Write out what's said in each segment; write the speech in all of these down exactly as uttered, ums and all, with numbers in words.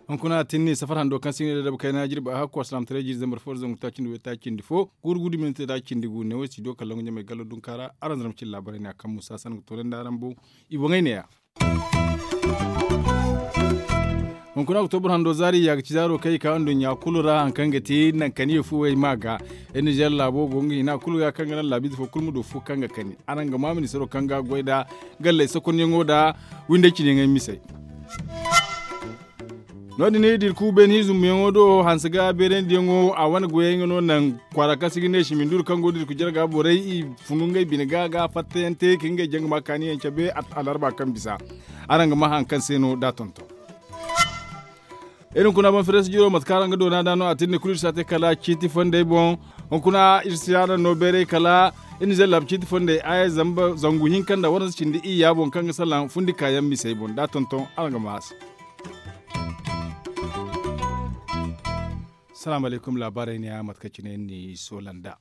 Hunkuna tinni safar hando kaŋ se i ne da dabu kayna jirbi a hakku alsilaamataray jiiri zambar fo da zangu taaci nda way taaci nda fo guuru gudu minti taaci nda gu ne way studio kallon ga ɲamay gallo dunka ra. Araŋ zarma cine laabaray ne a kaŋ musa san ga toonandi araŋ boŋ. I boŋey ne ya. Hunkuna oktobur hando zaari ya ga ci zaaro kaŋ i ka nduɲɲa kulu ra hari kaŋ ga ti naŋ kani ye fuwey ma ga. Iri nizeer laabo go nga hina kulu ga kaŋ ga naŋ laabiize fo kulu ma du fu kaŋ ga kani araŋ ga ma ministaro kaŋ ga goy nda galley sokonyaŋo nda windey cine ɲaŋey misey. No- din iri dirku beene ize zumbuyaŋo do hanse ga beerandiyaŋo a wane goyey nga no naŋ kwaara kaŋ se i ga ne siminduru kaŋ go dirku jarga borey i funu ngey bine ga ga fattayaŋ te ka ngey jangama kaaniyaŋ cabe. Alarba kaŋ bisa araŋ ga ma hari kaŋ se no da tonton. Iri hunkuna baŋ fereesi jiro mate kaŋ araŋ ga doona nd'a no a tinni kulu iri si a te kala ciiti fondey boŋ. Hunkuna iri si a naŋ no bayray kala iri nizeer laabu ciiti fondey aya zangu hinka nda waranza cindi iyya boŋ kaŋ ga salaŋ fundi kaayaŋ misey boŋ da tonton araŋ ga ma a se. Salaamu alaykum laabaarey ne ya mate kaŋ cine ni soola nd'a.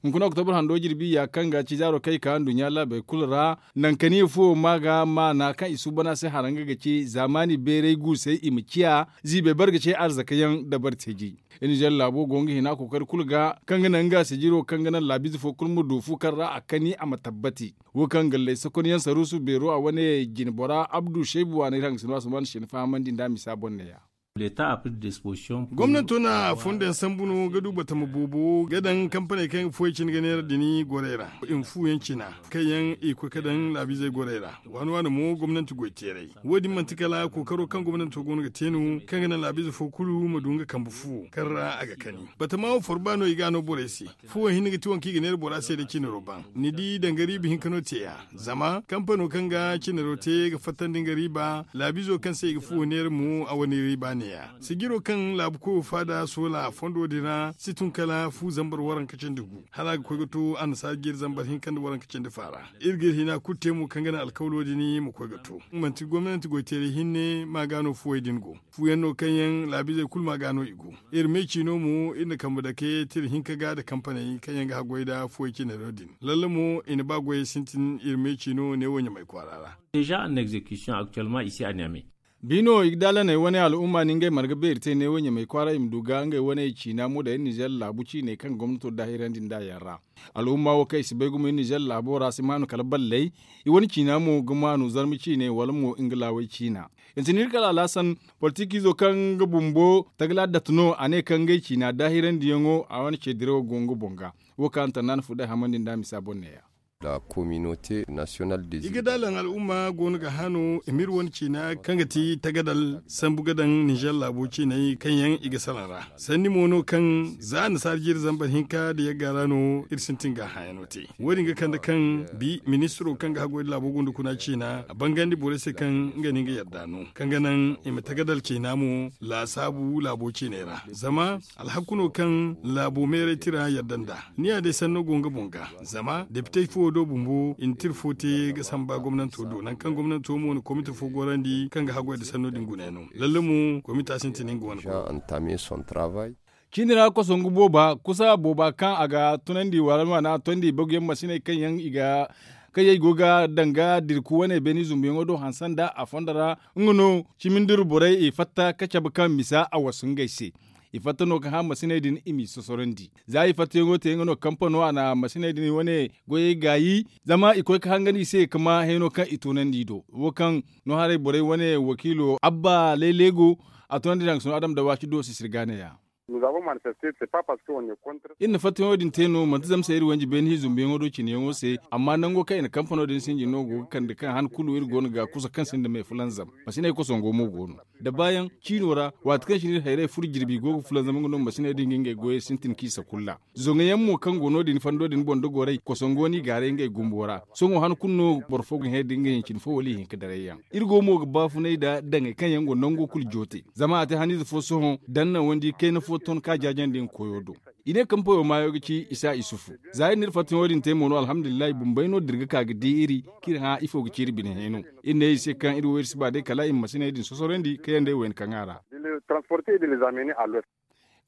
Hunkuna oktobur hando jirbi ya kaŋ ga ci zaaro kaŋ i ka nduɲɲa laabey kulu ra. Naŋ kani fuwo ma ga maana kaŋ i suuban a se hara nga ga ci zaamaani beeray guusey i ma ciya ziibey bare ga ce arzaka yaŋ dabari teeji. Iri nizeer laabo go nga hina kookari kulu ga kaŋ ga naŋ nga sijiro kaŋ ga naŋ laabiize fo kulu ma du fu kaŋ ra a kani a ma tabbati. Wo kaŋ galley sokonyaŋ saruusu beero a wane jine bora abdu seebu waana iri hangasino a si ma ni se ni fahamandi nd'a misa boŋ ne ya. Gomnanto na fondoyaŋ sambu no ga du batama boobo ga daŋ kampaney kaŋ ga fuwey cine ga neera din gorey ra i ma fuyaŋ cina kaŋ yaŋ i ga koy ga daŋ laabiizey gorey ra. Waani waani mo gomnanti goy teeray wo- din manti kala kookaro kaŋ gomnanto go no ga te no kaŋ ga naŋ laabiize fo kulu ma du nga kambe fu kaŋ ra a ga kani batama wo forba no i ga a no borey se. Fuwo hinne ga ti waŋ kaŋ i ga neera bora se da cinaro baŋ ni di danga riiba hinka no te ya. Zama kampano kaŋ ga cinaro te ga fattandi nga riiba laabiizo kaŋ se i ga fuwo neera mo a wane riiba ne ya. Sijiro kaŋ laabu koyo faada soola fondo din ra si tun kala fu zambar waranka cindi gu hala a ga koy ga to annasaara jeeri zambar hinka nda waranka cindi faara. Iri ga iri hina kulu te mo kaŋ ga naŋ alkawlo din ma koy ga to manti gomnanti goy teeray hinne ma ga no fuwey din go. Fuyaŋ no kaŋ yaŋ laabiizey kulu ma ga no i go. Iri me ciino mo iri na kambe dake tira hinka ga nda kampaney kaŋ yaŋ ga haggoy nda fuwey cinaro din lalle mo i na ba goyey sintin iri me ciino neewo ɲamay kwaara ra. Déjà en exécution actuellement ici à Niamey. Biino i ga daalaney wane al'umma no ngey marga beeri te neewo ɲamay kwaara i ma du ga ngey wane ciina mo daŋ iri nizeer laabu ciiney kaŋ gomnato daahirandi nd'a yaŋ ra. Al'umma wo kaŋ i si bay gumo iri nizeer laabo ra si maanu kala balley. I wane ciina mo ga maanu zarma ciiney wala mo nga laawey ciina. Intinir kala alhasan politikiizo kaŋ nga bumbo tagala date no a ne kaŋ ngey ciina daahirandi yaŋo a wane ce dirawo go nga boŋ ga. Wo kaŋ a na tanda ni fu day hamandi nd'a misa boŋ ne ya. I ga daalaŋ al'umma go no ga hano i ma iri wane ciina kaŋ ga ti tagadal sambu ga daŋ ninzeer laabo ciiney kaŋ yaŋ i ga salaŋ ra. Sanni mo no kaŋ za annasaara jiiri zambar hinka nda yagga ra no iri sintin ga a hãyano te. Wo- din ga kande kaŋ bi ministiro kaŋ ga haggoy nda laabo gunda kuna ciina a bangandi borey se kaŋ nga no nga yadda no kaŋ ga naŋ i ma tagadal ciina mo laasaabu laabo ciiney ra. Zama alhakku no kaŋ laabo meeray tira yadda nd'a. Ni ya day sanno go nga boŋ ga zama depitey fo do bumbo i na tira fo te ga samba gomnanto do nangu kaŋ gomnanto mo na komite fo gorandi kaŋ ga haggoy nda sanno din guna yaŋ no. Lalle mo komita sintin nga wane. Ciini ra kosongu booba kusa booba kaŋ a ga tunandi wala no a na a tondi baguyaŋ masiney kaŋ yaŋ i ga kaŋ yaŋ i go ga danga dirku wane beeni zumbuyaŋo do hanse nda a fondo ra. Nga no ciminduru borey i fatta ka cabe kaŋ misa a wasu ngey se. I fatta no ga hã masiney din i m'i sosorandi za i fattayaŋo te nga no kampano a na masiney din wane goyey gaayi zama i koy ga hangan i se ga ma hayno kaŋ i toonandi i do. Wo kaŋ no haray borey wane wakiilo abba leeleego a toonandi nangu sino adam da waaci do sisir ga neeya. Iri na fattayaŋo din te no manti zama se iri wanji beene hi zumbuyaŋo do cineyaŋo se amma nango kaŋ i na kampano din sinji no go ga kande kaŋ han kulu iri go no ga kusa kaŋ sinda me fulanzam. Masiney kosongo mo go no da baayaŋ ciino ra waati kaŋ cine iri hayray furo jirbi go ga fulanzam nga no masiney din ga ngey goyey sintin k'i sakulla. Zoŋo yaŋ mo kaŋ go no- din fondo din boŋ da goray kosongo n'i gaaray ngey gumbo ra. Sohõ han kulu no boro fo ga hẽ da nga hincin fo wala ihinka daray yaŋ. Iri go mo ga baafunay nda daŋey kaŋ yaŋ go nango kulu joote zama a te haniize fo sohõ daŋ naŋ wandi kayna fo ton ka jaajandi nga koyo do. I ne kaŋ poyo maayo ga ci isa isufu. Za iri n'iri fattayaŋo din te mo no alhamdulillahi bumbey no da iri ga ka ga di iri k'iri hã ifo ga ci iri bine hẽ no. Iri ne i se kaŋ iri wo iri si ba day kala i ma masiney din sosorandi ka yanda i wayna kaŋ a ra.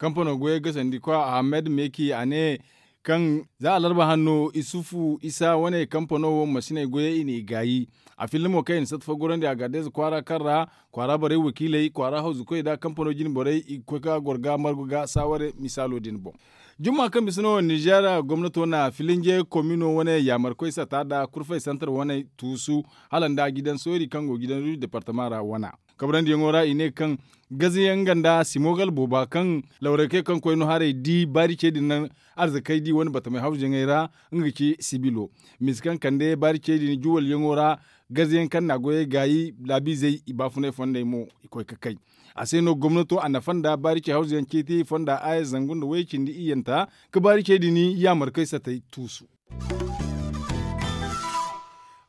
Kampano goyey gasandi kwa ahamed meki a ne, kaŋ za alarba hanno isufu isa wane kampano wo masiney goyey i n'i gaayi. A filla mo kaŋ i na satta fo gorandi a ga addeeza kwaara kaŋ ra kwaara borey wakiiley kwaara hawzukoy nda kampano jine borey i ga koy ka goro ga margu ga saaware misaalo din boŋ. Jumma kaŋ bisa no ninzeer gomnato na filinje komino wane yaamarkoy sata nda kurfay santar wane tuusu hala nda gidan soori kaŋ go gidan ruuj departama ra wana. Kabrandiyaŋo ra i ne kaŋ gazayaŋ nga nda simogal booba kaŋ lawray kay kaŋ koy no haray di baari ce din naŋ arzakey di wane batamey hawzuyaŋey ra. Nga ga ci sibilo misa kaŋ kande baari ce din juwalyaŋo ra. Gazayaŋ kaŋ na a goyey gaayi laabiizey i baafunay fondey mo i koy ga kay. A se no gomnato a nafa nda baari ce hawzuyaŋ ciiti fonda aya zangu nda way cindi iyyanta ka baari ce din yaamarkoy satey tuusu.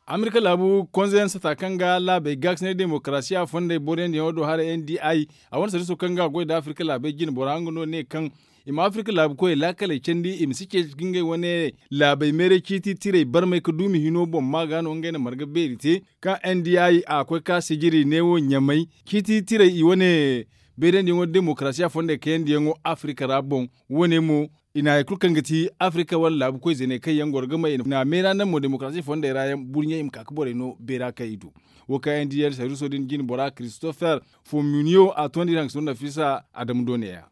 Amerika laabu konzeyaŋ sata kaŋ ga laabey gaakasinay demokarasiya fondey boroyandiyaŋo do haray n d i a wane sariso kaŋ ga a goy nda afirka laabey jine bora nga no ne kaŋ i ma afirka laabu koyey laakaley candi i ma si ceeci ga ngey wane laabey meeray ciiti tirey barmay ga duumi hino boŋ ma ga no ngey na marga beeri te kaŋ n d i a koy ga sijiri neewo ɲamay ciiti tirey i wane beerandiyaŋo demokarasiya fondey kayandiyaŋo afirka ra boŋ. Wane mo i na hari kulu kaŋ ga ti afirka wane laabu koy zeeney kaŋ yaŋ goro ga may i na meera naŋ mo demokarasiya fondey ra yaŋ buri ɲaŋ i ma ka ga borey no beera kaŋ i du. Wo kaŋ yaŋ di yaŋ sariiso din jine bora christopher fomuniyo a tondi iri hangasino nafisa adamu do neeya.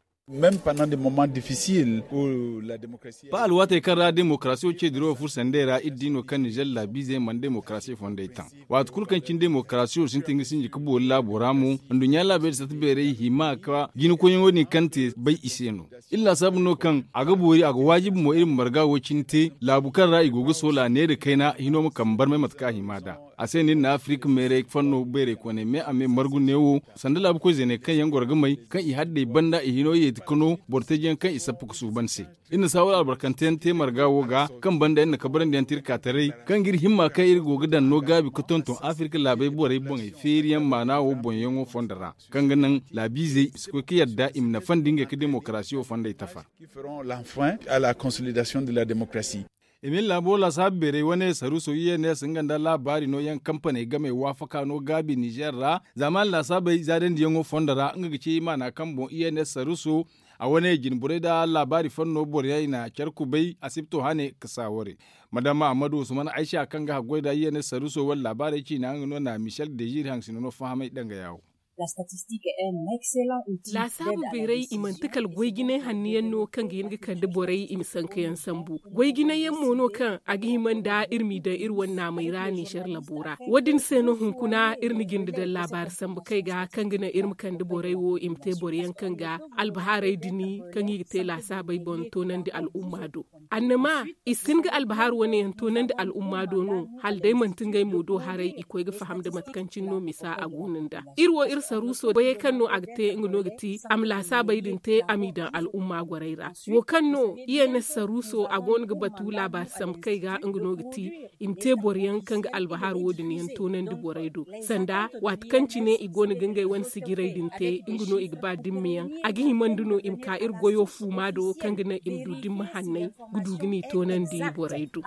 Ba alwaatey kaŋ ra demokarasiyo ce dirawo furo sanday ra iri di no kaŋ nizer laabiizey mana demokarasiyo fondey taŋ. Waati kulu kaŋ cine demokarasiyo sintin ga sinji ga boori laabo ra mo nduɲɲa laabey da sata beerey hima ka jinakoyyaŋo din kaŋ te bay i se no. Iri laasaabu no kaŋ a ga boori a ga waajibi mo iri ma marga wo cine te laabu kaŋ ra i go ga soola neera kayna hino ma kambe barmay mate kaŋ a hima nd'a. A se no iri na afirka meeray fanno beeray koonay me a me margu neewo sanda laabu koy zeeney kaŋ yaŋ goro ga may kaŋ i haddey banda i hino yeeti ka no boro teejiyaŋ kaŋ i sappa ga suuban se. Iri na saawar albarkanteyaŋ te marga wo ga kaŋ banda iri na kabarandiyaŋ te iri ka taray kaŋ ga iri himma kaŋ iri go ga daŋ no gaabi ga tonton afirka laabey borey boŋey feeriyaŋ maana wo boŋyaŋo fondo ra kaŋ ga naŋ laabiizey i si koy ga yadda i ma nafandi ngey ga demokarasiyo fondey tafa. Emil laabo laasaabu beerey wane saruuso i n s nga nda laabaari nooyaŋ kampaney game waafaka no gaabi nizer ra. Zaamaani laasaabey zaadandiyaŋo fondo ra nga ga ci maana kaŋ boŋ i n s saruuso a wane jine borey nda laabaari fanno boroyaŋ i na care kubay asibto hane ga saaware. Madama ahmadu usman aysa kaŋ ga haggoy nda i n s saruuso wala laabaarey ciina nga no na michel deziiri hangasino no fahamay danga yaawo. Laasaabu beeray i manti kala goy jinay hanno yaŋ no kaŋ ga hin ga kande borey i ma sanka yaŋ sambu. Goy jinay yaŋ mo no kaŋ a ga hima nda iri m'i daŋ iri wane naamey ra nizer labo ra wo- din se no hunkuna iri na jinde daŋ laabaari sambu kay ga kaŋ ga naŋ iri ma kande borey wo i ma te boro yaŋ kaŋ ga albahaarey dini kaŋ i ga te laasaabey boŋ toonandi al'umma do. Annama i si hin ga albahar wane yaŋ toonandi al'umma do no hala day manti ngey mo do haray i koy ga faham nda mate kaŋ cine no misa a go no nda iri wo iri saruuso goyey kaŋ no a ga te nga no ga ti a ma laasaabey din te a m'i daŋ al'umma gorey ra. Wo kaŋ no i n s saruuso a go no ga batu laabaari sambu kay ga nga no ga ti i ma te boro yaŋ kaŋ ga albahar wo- din yaŋ toonandi borey do sanda waati kaŋ cine i go no ga ngey wane sijirey din te nga no i ga ba dimma yaŋ. A ga hima nda no i ma ka iri goyo fuuma do kaŋ ga naŋ i ma du dimma hanney ga du ga n'i toonandi borey do.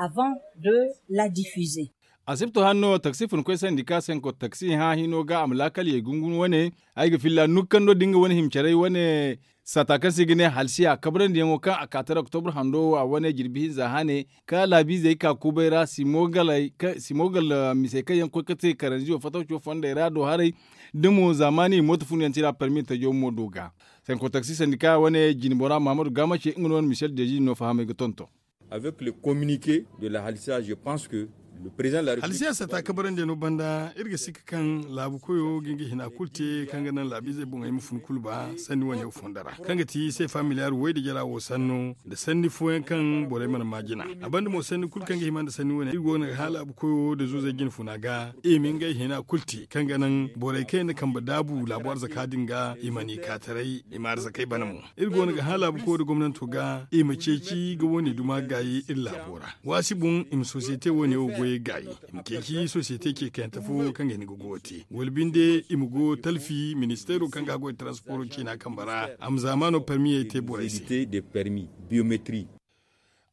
Asibto hanno taksi funkoy sandika senko taksi hã hino ga a ma laakal yay gungunu wane. Ay ga filla nukkando da nga wane himcaray wane sata kaŋ se i ga ne halsiya kabrandi yaŋo kaŋ a ka tara oktobra hando wo a wane jirbi hinza hane ka laabiizey ka kubay ra simogal misey kaŋ yaŋ koy ga te karanziyo fatawco fondey ra do haray. Da mo zaamaani i mooto funu yaŋ tira parmi tajo mo do ga. Senko taksi sandika wane jine bora mahamadu gaamace nga no wane michel deji no fahamay ga tonton. Avec le communique de la halsiya je pense que le president de la république. Halsiya sata kabarandi no banda iri ga sikka kaŋ laabu koyo ga nga hina kulu te kaŋ ga naŋ laabiizey boŋey ma fun kulu ba sanni wane fondo ra kaŋ ga ti se familiyar way da jara wo sanno da sanni fooyaŋ kaŋ borey mana maajina. A banda mo sanni kulu kaŋ ga hima nda sanni wane iri go no ga hã laabu koyo da zuuzey jine funa ga i ma ngey hina kulu te kaŋ ga naŋ borey kaŋ yaŋ na kambe daabu laabu arzaka din ga i mana i ka taray i ma arzakey bana mo. Iri go no ga hã laabu koyo da gomnanto ga i ma ceeci ga wane duma gaayi iri laabo ra waasi boŋ i ma sosiyete wane wo goyey gaayi. I ma ceeci sosiyete ce kayante fo kaŋ ga hin ga goyo te wala binde i ma go talfi ministeero kaŋ ga goy transporo ciina kambe ra a ma zaamaano parmiyey te borey se.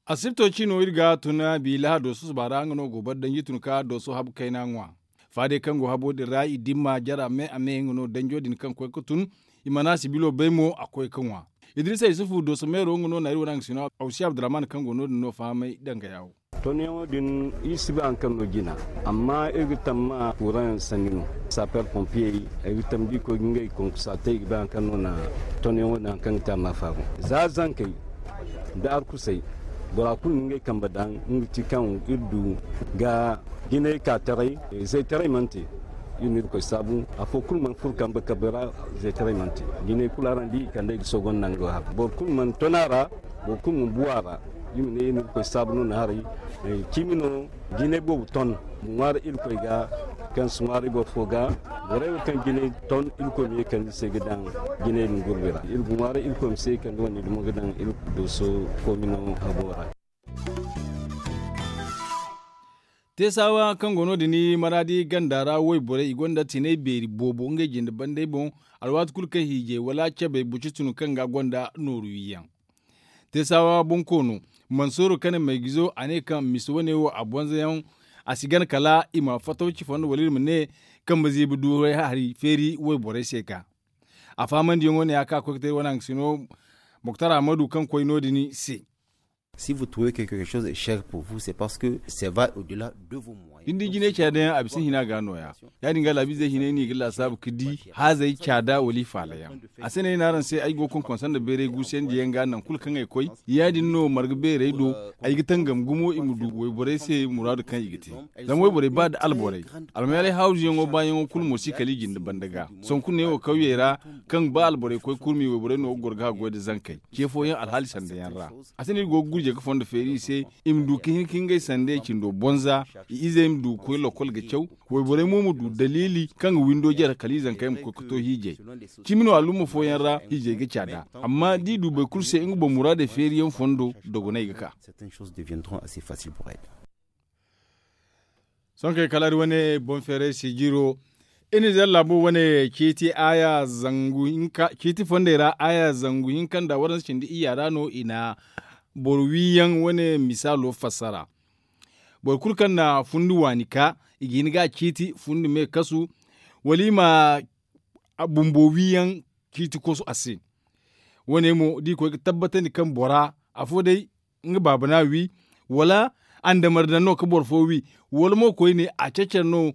Asibto ciino iri ga tun bi lahado susuba ra nga no go bar danji tun ka dooso habu kayna ŋwa. Faadey kaŋ go habo din ra i dimma jara me a me nga no danjo din kaŋ koy ga tun i mana sibilo bay mo a koy ga ŋwa. Idrisa yusufu dooso meero nga no na iri wane haŋ ga sino awsi abdurrahman kaŋ go no- din no fahamay danga yaawo. Tonyaŋo din iri si bay hari kaŋ no jina, amma iri ga tamma kuuraŋ yaŋ sanni no. Saper pompiyey, ay ga tamma da iri koy ga ngey konkosa te iri ga bay hari kaŋ no na tonyaŋo din hari kaŋ ga te a ma a faabu. Za zankey nda arkusey, bora kulu na ngey kambe daŋ nga ti kaŋ iri du ga jinay ka taray. Zaytaray mana te. Iri na irkoy saabu afo kulu mana furo kambe kambe ra. Zaytaray mana te. Jinay kulu araŋ di i kand'ey ga sogonda nga do hara boro kulu mana ton a ra. Boro kulu mana bu a ra. Iri ma ne iri na irkoy saabu no na haray. Cimi no jinay boobo ton ma ŋwaari irkoy ga. Kaŋ si ŋwaari boro fo ga. Borey wo kaŋ jinay ton irkoy ma ye kande i se ga daŋ jinay din gurbi ra iri ga ŋwaaray irkoy ma se kande wane dumo ga daŋ iri dooso koomino habo ra. Teesawa kaŋ go no- din maraadi ganda ra wayborey i gonda tinay beeri boobo ngey jinde bandey boŋ. Alwaati kulu kaŋ hiijay wala cabey bucitunu kaŋ ga gonda nooru wiyaŋ. Teesawa bonkoono mansooro kane maygizo a ne kaŋ misa wane wo a bonzayaŋ. A si gana kala i ma fatawci fondo wala iri ma ne kambe ziibi du hari feeri wayborey se ka. A fahamandiyaŋo ne ya kaŋ a koy ga te iri wane haŋ ga sino moktar ahmadu kaŋ koy no- din se. Si vous trouvez que quelque chose est cher pour vous c'est parce que ça va au delà de vos moyens. Din di jinay caadayaŋ a bisa hina ga nooya. Ya- din ga laabiizey hinay no i ga laasaabu ga di haazey caada wala i faalayaŋ. A se no ay ne araŋ se ay go ga konkonsa nda bayray guusuyandiyaŋ ga nangu kulu kaŋ ay koy. Ya- din no marga beerey do ay ga tangam gumo i ma du wayborey se muraadu kaŋ i ga te. Zama wayborey ba nda alborey almayaalay hawzuyaŋo baayaŋo kulu mo si kala i jinde banda ga. Sanku neewo kawyey ra kaŋ ba alborey koy kurmi wayborey no ga goro ga haggoy nda zankey ce fooyaŋ alhaali sandayaŋ ra. A se no iri go ga gurjey ga fondo feeri i se i ma du ga hin ka ngey sandey cindo bonza. I izey ma du ga koy lokol ga caw. Wayborey mo ma du daliili kaŋ ga windo jare kala i zankey ma koy ga to hiijay. Cimi no alumma fooyaŋ ra hiijay ga caada. Amma da i du boro kulu se nga boŋ muraadey feeriyaŋ fondo dogonay ga ka. Sohõ kay kala iri wane boŋ feeray se jiiro. Iri na zalla bo wane ciiti aya zangu hinka ciiti fondey ra aya zangu hinka nda waransa cindi iyya ra no i na boro wiyaŋ wane misaalo fassara. Boro kulu kaŋ na fundi waani ka i ga hin ga a ciiti fundi me kasu wala i ma bumbo wiyaŋ ciiti kosu a se. Wo- ne mo da i koy ga tabbatandi kaŋ bora afo day nga baaba no a wi wala andamar daŋ no ga boro fo wi wala mo koyne a cecer no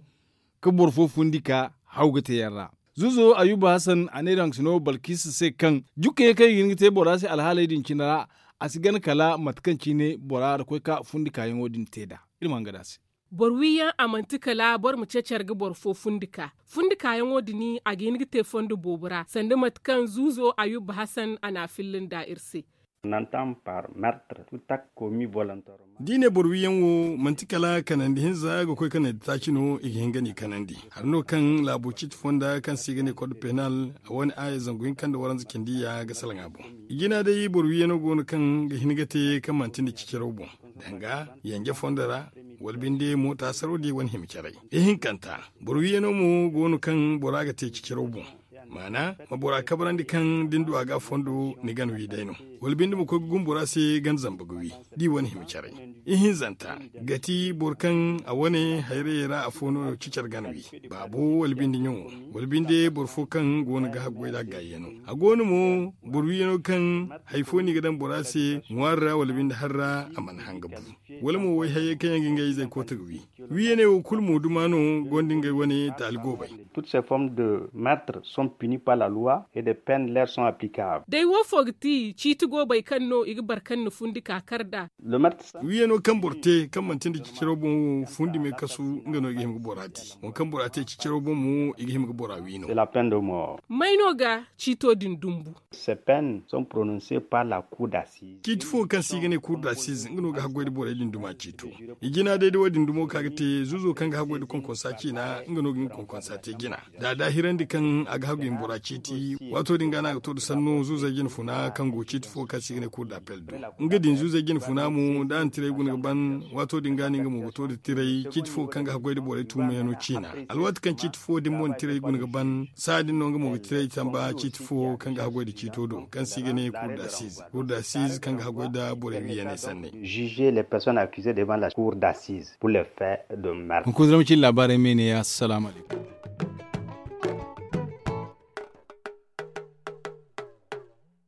ga boro fo fundi ka haw ga te yaŋ ra. Zuuzo ayuba hasan a ne daŋ sino balkisa se kaŋ jukkayaŋ kaŋ i ga hin ga te bora se alhaaley din cine ra. A si gana kala mate kaŋ cine bora ra koy ka fundi kaayaŋo din te nd'a. Iri ma hanga nd'a se. Boro wiyaŋ a manti kala boro ma cecer ga boro fo fundi ka fundi kaayaŋo din a ga hin ga te fondo boobo ra sanda mate kaŋ zuuzo ayuba hasan a na a filla nd'a iri se. Nantan par mertre tutak komi volontairement. Da i ne boro wiyaŋ wo manti kala kanandi hinza ga koy kanandi taaci no i ga hin ga ni kanandi. Hari no kaŋ laabo ciiti fonda kaŋ se i ga ne kod penal a wane aya zangu hinka nda waranza cindi ya ga salaŋ a boŋ. I jina day boro wiyaŋo go no kaŋ ga hin ga te kaŋ manti nda ciciraw boŋ. Danga yanje fondo ra wala binde mo taasaro di wane hima caray. Ihinkanta boro wiyaŋo mo go no kaŋ bora ga te ciciraw boŋ. Maana ma bora kabrandi kaŋ da ni du a ga fondo ni gana wi day no. Wala binde ma koy ga gumbu ra se gana zamba ga wi da i wane hima caray. Ihinzanta ga ti boro kaŋ a wane hayrayey ra afo no cicar gana wi. Baabo wala binde ɲaŋo wala binde boro fo kaŋ go no ga haggoy nd'a gaayyano. A go no mo boro wiyaŋo kaŋ hari fo no i ga daŋ bora se ŋwaari ra wala binde hari ra a mana hanga bu. Wala mo wayhayyey kaŋ yaŋ ga ngey izey koota ga wi. Wiyaney wo kulu mo duma no gonda ngey wane taali goobey. Toutes ces formes de meurtre sont punies par la loi et des peines leur sont applicables. Day woofo ga ti ciiti goobey kaŋ no i ga boro kaŋ na fundi ka kar nd'a. Wiyano kaŋ boro te kaŋ manti nda ciciro boŋ wo fundi me kasu nga no i ga hima ga bora di. Wo kaŋ bora te ciciro boŋ mo i ga hima ga bora wi no. May no ga ciito din dumbu? Ces peines sont prononcées par la cour d'assises. Ciiti fo kaŋ se i ga ne cour d'assises nga no ga haggoy da borey din duma ciito. I jina day da wo- din dumo ka ga te zuuzo kaŋ ga haggoy da konkonsa ciina nga no ga nga konkonsa te jina. Da a daahirandi kaŋ a ga haggoy ma bora ciiti. Waato din ga no a ga to da sanno zuuzey jina funa kaŋ go ciiti fo kaŋ se i ga ne cour d'appel do. Nga din zuuzey jina funa mo da a na tiray guna ga ban. Waato din ga no nga mo ga to da tiray ciiti fo kaŋ ga haggoy da borey tuumayano ciina. Alwaati kaŋ ciiti fo din mo na tiray guna ga ban saha din no nga mo ga tiray tamba ciiti fo kaŋ ga haggoy da ciito do kaŋ se i ga ne cour d'assises. Cour d'assises kaŋ ga haggoy da borey wiyaney sanney. Juger les personnes accusées devant la cour d'assises pour les faits de meurtre. Hunkuna zama cin laabaarey me ne ya assalamu alaikum.